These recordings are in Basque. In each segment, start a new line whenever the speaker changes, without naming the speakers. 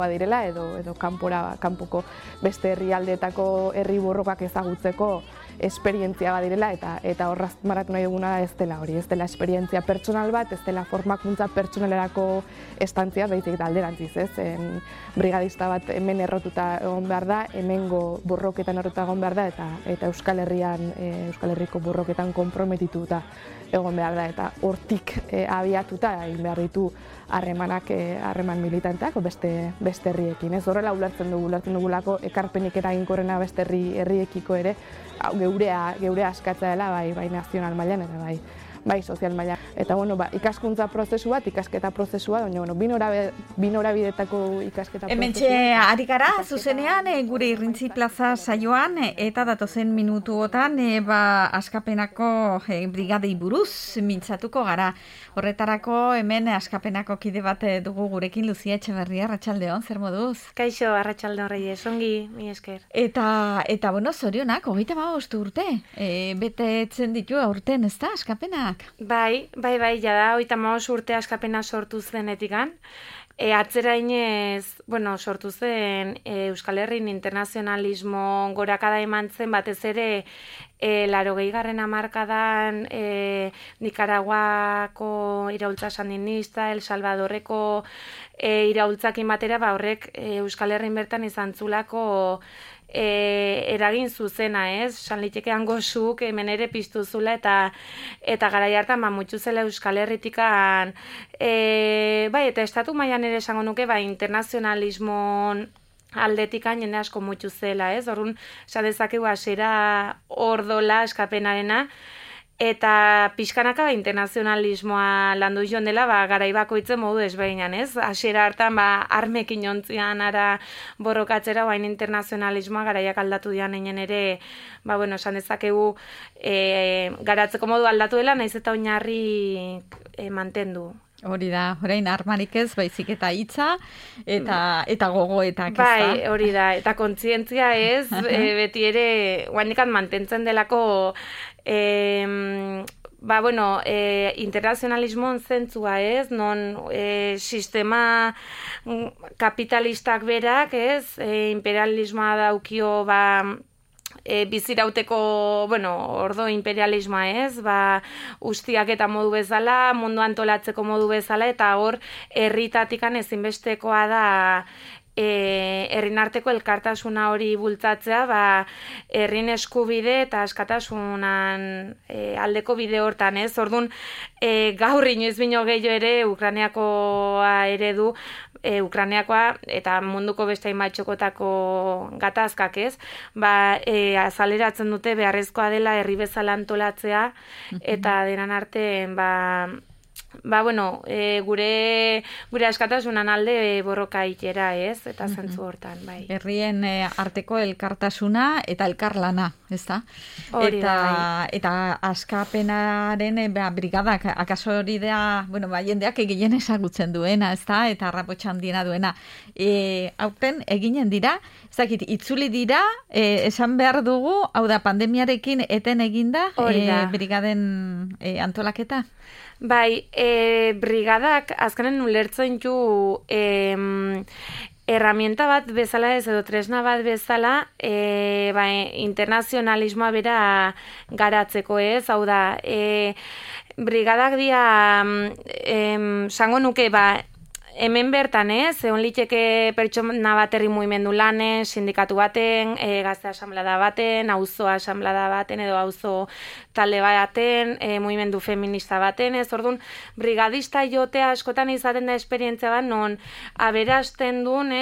direla edo kanpoko beste herrialdeetako herri borrokak ezagutzeko esperientzia badirela eta horraz maratu nahi duguna ez dela hori, ez dela esperientzia pertsonal bat, ez dela formakuntza pertsonalerako estantzia, baizik da alderantziz, ez? Brigadista bat hemen errotuta egon behar da, hemengo borroketan errotuta egon behar da eta Euskal Herriko borroketan konprometituta egon behar da eta hortik abiatuta egin behar ditu harreman militanteak beste herriekin. Ez horrela ulertzen dugulako ekarpenik eraginkorrena beste herriekiko ere geurea askatza dela bai nazional mailan eta bai sozial mailan. Eta ikaskuntza prozesu bat, ikasketa prozesua, baina bi norabidetako ikasketa prozesua.
Hementxe ari gara zuzenean gure Irrintzi Plaza saioan eta datozen minutuotan Askapenako brigadei buruz mintzatuko gara. Horretarako hemen Askapenako kide bat dugu gurekin, Lucia Etxeberria, arratsaldeon, zer moduz?
Kaixo, arratsaldeon Reyes, ongi, mi esker.
Eta zorionak, 35 urte, betetzen ditu aurten, ez da, Askapenak?
Bai, jada, 35 urte Askapena sortu zenetikan. Atzerainez, sortu zen Euskal Herrin internazionalismo gorakada eman zen, batez ere 80. hamarkadan Nikaraguako iraultza sandinista, El Salvadorreko iraultzakin batera, horrek Euskal Herrin bertan izan zulako eragin zuzena, ez? San liteke hango zuk hemen ere piztu zula eta garai hartan mutxu zela Euskal Herritikan eta estatu mailan ere esango nuke internazionalismon aldetikan jende asko mutxu zela, ez? Orrun esan dezakegu hasiera ordola Askapenarena eta pixkanaka internazionalismoa landu joan dela garai bakoitzen modu desberdinan, ez? Hasiera hartan armekin jontzian ara borrokatzera internazionalismoa garaiak aldatu dian einen ere, esan dezakegu garatzeko modu aldatu dela, naiz eta oinarri mantendu.
Hori da, orain armarik ez, baizik eta hitza eta gogoetak, ez da?
Bai, hori da, eta kontzientzia ez, beti ere, guainikan mantentzen delako internazionalismoan zentzua ez, non sistema kapitalistak berak ez, imperialismoa daukio bizirauteko, ordo imperialismoa ez, ustiak eta modu bezala, mundu antolatzeko modu bezala, eta hor herritatikan ezinbestekoa da herrin arteko elkartasuna hori bultzatzea, herrin eskubide eta askatasunan aldeko bide hortan, ez? Orduan, gaur inoiz bino gehiago ere Ukrainiakoa ere du, Ukrainiakoa eta munduko beste hainbatxokotako gatazkak, ez? Azaleratzen dute beharrezkoa dela herri bezala antolatzea eta denan artean gure askatasunan alde borroka itera, ez? Eta zentzu hortan, bai.
Herrien arteko elkartasuna eta elkarlana, ez da? Eta Askapenaren brigadak, akaso hori da, jendeak eginen ezagutzen duena, ez da? Eta rapotxa handiena duena. Aurten eginen dira, ez dakit, itzuli dira, esan behar dugu, hau da, pandemiarekin eten eginda brigaden antolaketa?
Bai, brigadak azkenen ulertzen du herramienta bat bezala ez edo tresna bat bezala internazionalismoa bera garatzeko ez, hau da, brigadak dira, sango nuke, hemen bertan, egon liteke pertsona bat herri mugimendu lanen, sindikatu baten, gazte asamblada baten, auzo asamblada baten, edo auzo talde baten, mugimendu feminista baten, orduan, brigadista jotea askotan izaten da esperientzia bat, non aberasten duen,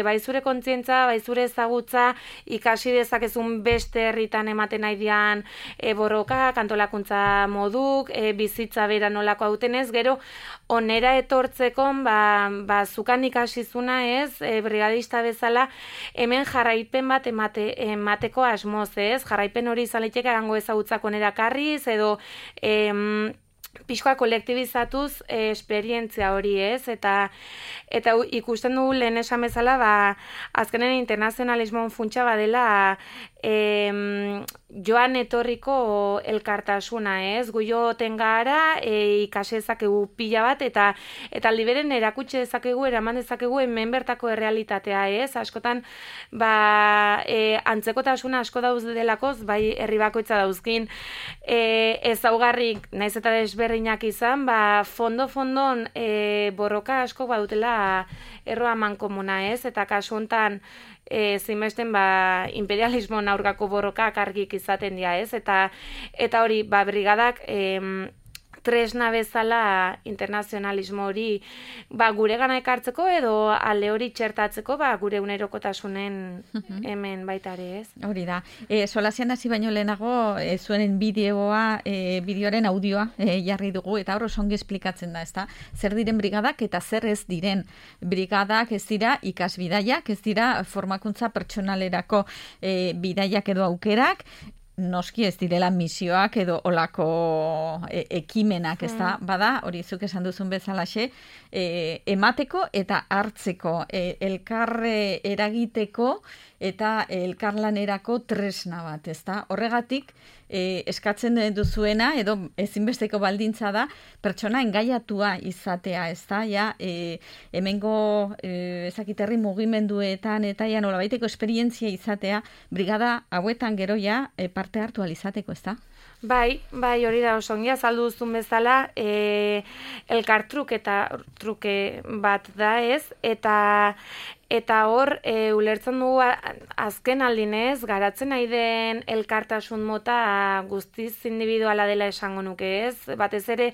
bai zure kontzientza, bai zure ezagutza, ikasi dezakezun beste herritan ematen nahi dian borroka, antolakuntza moduk, bizitza bera nolako hauten gero, onera etortzeko, zukan ikasizuna ez, brigadista bezala, hemen jarraipen bat emateko asmoz ez, jarraipen hori izan liteke gango ezagutzak onera karriz, edo pixkoa kolektibizatuz esperientzia hori ez, eta ikusten dugu lehen esan bezala, azkenen internazionalismoan funtsa badela joan etorriko elkartasuna, ez? Gu joten gara, ikase dezakegu pila bat, eta liberen erakutsi dezakegu, eraman dezakegu hemen bertako errealitatea, ez? Askotan, antzekotasuna asko dauz delakoz, bai herri bakoitza dauzkin, ezaugarrik, naiz eta desberdinak izan, fondo-fondon borroka asko badutela erroa mankomuna, ez? Eta kasu hontan, zinbesten imperialismo aurkako borrokak argik izaten dira, ez? Eta hori, brigadak tresna bezala internazionalismo hori gure gana ekartzeko edo alde hori txertatzeko gure unerokotasunen hemen baita ere, ez?
Hori da. Solasean hasi baino lehenago zuenen bideoaren audioa jarri dugu eta hor osongi esplikatzen da, ezta? Zer diren brigadak eta zer ez diren. Brigadak ez dira ikasbidaiak, ez dira formakuntza pertsonalerako bidaiak edo aukerak, noski ez direla misioak edo olako ekimenak, ez da, bada, hori zuk esan duzun bezalaxe, emateko eta hartzeko, elkarre eragiteko eta elkarlanerako tresna bat, ez da? Horregatik, eskatzen duzuena, edo ezinbesteko baldintza da, pertsona engaiatua izatea, ez da? Ja, hemengo ezakiterri mugimenduetan eta ja nolabaiteko esperientzia izatea, brigada hauetan gero ja parte hartu alizateko, ez da?
Bai, hori da osongi azaldu duzun bezala, elkartruke bat da, ez? Eta hor, ulertzen dugu azken aldinez, garatzen nahi den elkartasun mota guztiz individuala dela esango nuke, ez? Batez ere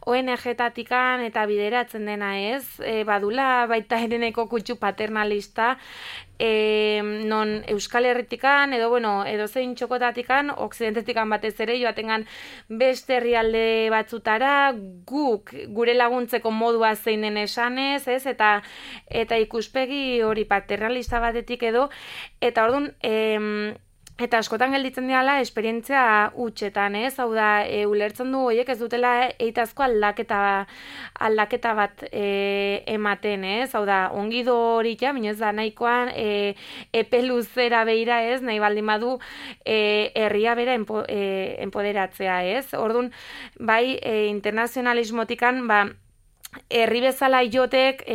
ONG-tatikan eta bideratzen dena, ez? Badula baita ereneko kutsu paternalista, non Euskal Herritikan, edo zein txokotatikan, okzidentetikan batez ere, joatengan beste herrialde batzutara, gure laguntzeko modua zein den esanez, ez? Eta ikuspegi hori paternalista batetik edo, eta orduan, eta askotan gelditzen dira esperientzia hutsetan, ez? Hau da, ulertzen du horiek ez dutela eitazko aldaketa bat ematen, ez? Hau da, ongido hori minez da nahikoan epe luzera beira, ez? Nahi baldin badu herria bera empoderatzea, ez? Orduan, bai, internazionalismotikan, herri bezala jotek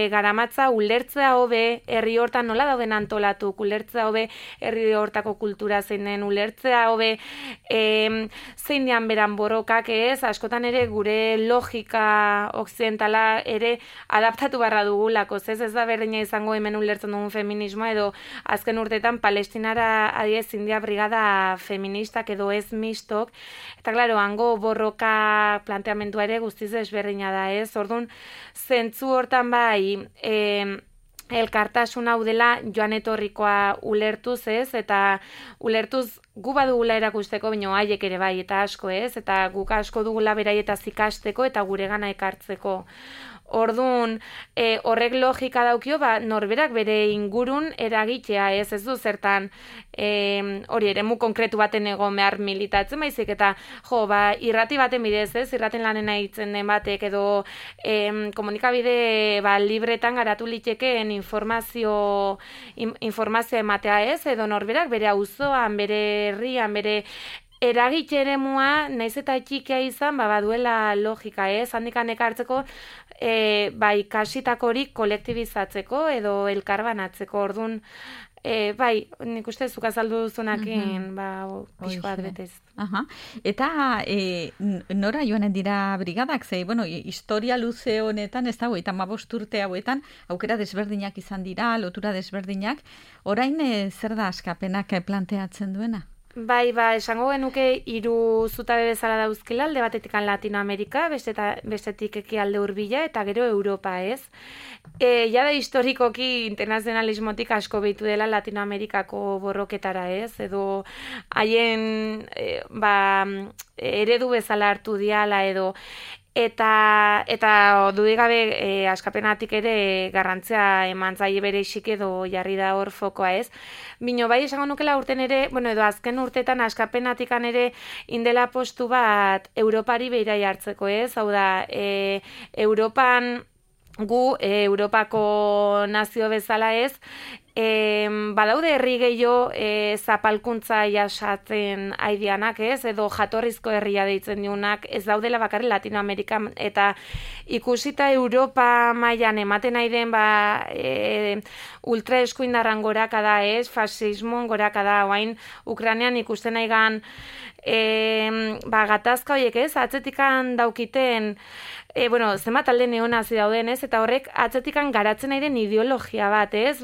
garamatza ulertzea hobe herri hortan nola dauden antolatu, ulertzea hobe herri hortako kultura zein den, ulertzea hobe zein dian beran borrokak, ez? Askotan ere gure logika okzidentala ere adaptatu barra dugulako, ez da berdina izango hemen ulertzen dugun feminismoa edo azken urtetan Palestinara adiez India brigada feministak edo ez mistok, eta klaro, hango borroka planteamendua ere guztiz ezberdina da, ez? Orduan, zentzu hortan bai, elkartasun hau dela joan etorrikoa ulertuz, ez? Eta ulertuz gu badugula erakusteko, baina haiek ere bai, eta asko, ez? Eta guk asko dugula beraietaz ikasteko eta gure gana ekartzeko. Orduan, horrek logika daukio, norberak bere ingurun eragitea, ez du zertan hori eremu konkretu baten egon behar militatzen, baizik eta irrati baten bidez, ez? Irraten lanen aitzen den batek edo komunikabide libretan garatu litekeen informazio ematea, ez? Edo norberak bere auzoan, bere herrian, bere eragitxe eremua, naiz eta txikia izan, baduela logika, ez? Handikan ekartzeko, kasitako hori kolektibizatzeko edo elkarbanatzeko, orduan, bai, nik uste zuk azaldu duzunakin, pixko bat betez.
Eta nora joanen dira brigadak, historia luze honetan, ez da, 15 urte hauetan, aukera desberdinak izan dira, lotura desberdinak, orain zer da askapenak planteatzen duena?
Bai, esango genuke 3 zutabe bezala dauzkila, alde batetik Latinoamerika, bestetik ekialde hurbila eta gero Europa, ez? Jada historikoki internazionalismotik asko behitu dela Latinoamerikako borroketara, ez? Edo haien eredu bezala hartu diala edo eta dudigabe askapenatik ere garrantzia eman zaie bere isik edo jarri da hor fokoa, ez? Bino bai esango nukela urten ere, edo azken urtetan askapenatikan ere indela postu bat Europari beira jartzeko, ez? Hau da, Europan gu Europako nazio bezala ez, badaude herri gehiago zapalkuntza jasatzen aidianak, ez? Edo jatorrizko herria deitzen diunak, ez daudela bakarri Latinoamerikan, eta ikusita Europa mailan ematen nahi den ultra eskuindarran gorakada, ez? Fasismoan gorakada, oain Ukrainean ikusten nahi gan gatazka horiek, ez? Atzetikan daukiten zenbat talde neonazi dauden, ez? Eta horrek atzetikan garatzen nahi den ideologia bat, ez?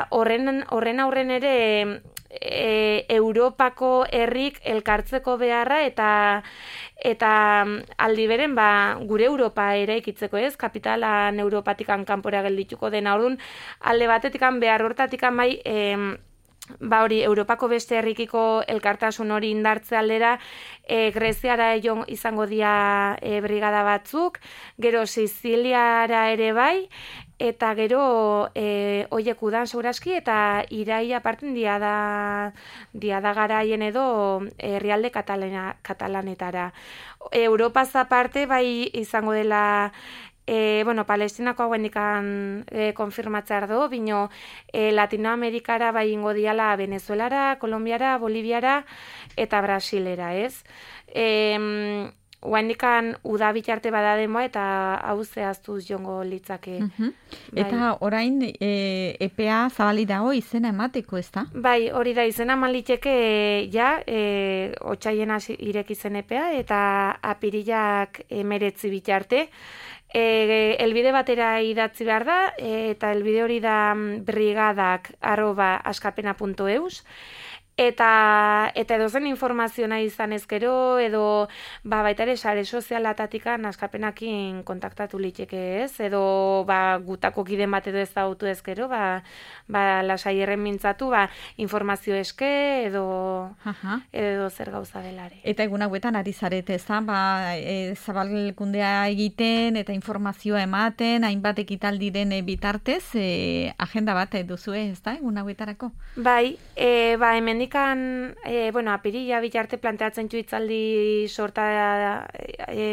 Horren aurren ere Europako herrik elkartzeko beharra eta aldi beren gure Europa eraikitzeko, ez? Kapitalan Europatikan kanpora geldituko dena. Orduan, alde batetikan behar hortatikan hori Europako beste herrikiko elkartasun hori indartze aldera, Greziara izango dira brigada batzuk, gero Siziliara ere bai, eta gero oiek udan segurazki, eta iraia aparten diada garaien edo herrialde katalanetara. Europaz aparte bai izango dela Palestinako hauendikan konfirmatzear do, bino Latinoamerikara bai ingo diala Venezuelara, Kolombiara, Boliviara eta Brasilera, ez? Hauendikan uda bitarte bada denboa eta hau zehaztuz jongo litzake.
Eta orain EPA zabali dago izena emateko, ez da?
Bai, hori da izena eman liteke otsailena ireki zen EPA eta apirilak 19 bitarte. Elbide batera idatzi behar da, eta elbide hori da brigadak@askapena.eus, eta edozen informazio nahi izan ezkero, edo baita ere sare sozialatatikan askapenakin kontaktatu liteke, ez? Edo gutako kiden bat edo ezagutu ezkero, lasai erren mintzatu, informazio eske, edo zer gauza delare.
Eta egun hauetan ari zarete, ez da? Zabalkundea egiten eta informazioa ematen, hainbat ekitaldiren bitartez, agenda bat duzue, ez da? Egun hauetarako?
Bai, hemendik apirila bitarte planteatzen hitzaldi sorta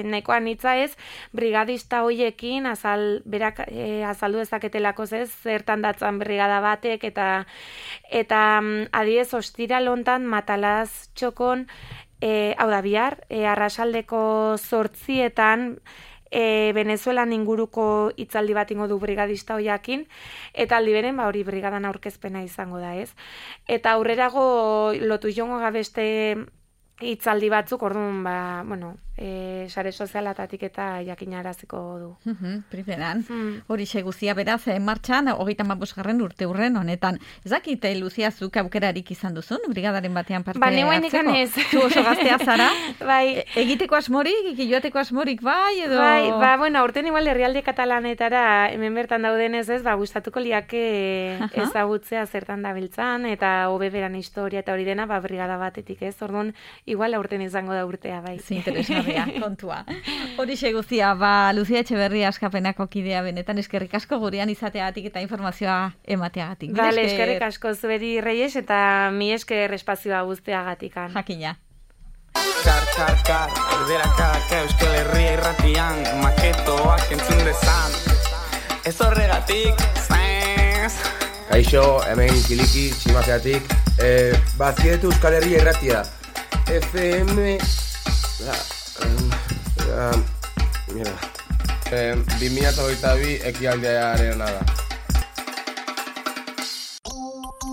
nahikoan hitza, ez, brigadista hoiekin azaldu dezaketelako, ez, zertan datzan brigada batek, eta adibidez ostiral hontan Matalaz txokon, hau da bihar, arratsaldeko 8:00 Venezuelan inguruko hitzaldi bat ingo du brigadista hoiakin, eta aldi beren hori brigadan aurkezpena izango da, ez? Eta aurrerago lotu jongo beste hitzaldi batzuk, orduan, sare sozialatatik eta jakinaraziko du.
Primeran. Horixe guztia beraz, martxan, 35. urte urren honetan. Ez dakit, Luzia, zuk aukerarik izan duzun, brigadaren batean parte hartzeko?
Neuenekan ez.
Zu oso gaztea zara?
Bai.
Egiteko asmorik, joateko asmorik, bai, edo?
Bai, aurten igual herrialde katalanetara, hemen bertan daudenez ez, gustatuko liake ezagutzea zertan dabiltzan, eta hobeberan historia eta hori dena, brigada batetik ez, orduan, igual aurten izango da urtea, bai.
Interesgarria, kontua. Horixe guztia, Luzia Etxeberria Askapenako kidea benetan, eskerrik asko gurean izateagatik eta informazioa emateagatik.
Bale, eskerrik asko zueri Reyes eta mi esker espazioa guzteagatikan.
Jakina.
Kar, erderakaka Euskal Herria irratian, maketoak entzun dezan. Ez horregatik,
Kaixo, hemen kiliki, tximazeatik. Bazkietu Euskal Herria irratia. FM... Mira. 2022 ekialdearen da.